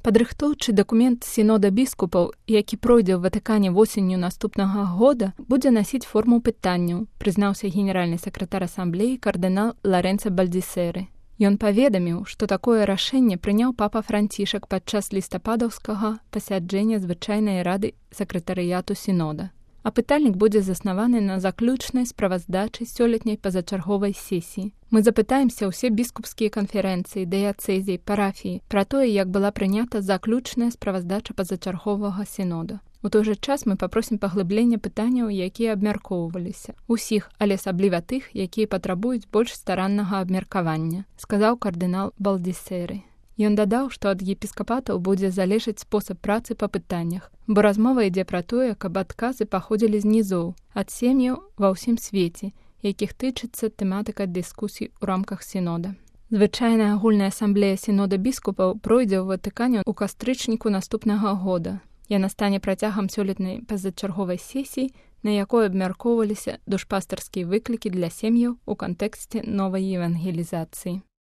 Падрыхтоўчы дакумент сінода біскупаў, які пройдзе ў Ватыкане восенню наступнага года, будзе насіць форму пытанняў, прызнаўся генеральны сакратар асамблеі кардынал Ларэнца Бальдзісэры. Ён паведаміў, што такое рашэнне прыняў папа Францішак падчас лістападаўскага пасяджэння звычайнай рады сакратарыяту сінода. Апытальнік будзе заснаваны на заключнай справаздачы сёлетняй пазачарговай сесіі. Мы запытаемся ўсе біскупскія канферэнцыі, дыяцэзіі, парафіі пра тое, як была прынята заключная справаздача пазачарговага сінода. У той жа час мы папросім паглыблення пытанняў, якія абмяркоўваліся. Усіх, але асабліва тых, якія патрабуюць больш стараннага абмеркавання, сказаў кардынал Бальдзісэры. Ён дадаў, што ад епіскапатаў будзе залежаць спосаб працы па пытаннях, бо размова ідзе пра тое, каб адказы паходзілі з нізоў, ад сем'яў ва ўсім свеце, якіх тычыцца тэматыка дыскусій у рамках сінода. Звычайная агульная асамблея сінода біскупаў пройдзе ў Ватыкане ў кастрычніку наступнага года. Яна стане працягам сёлетняй пазачарговай сесіі, на якой абмяркоўваліся душпастарскія выклікі для сем'яў у кантэксце новай евангелізацыі.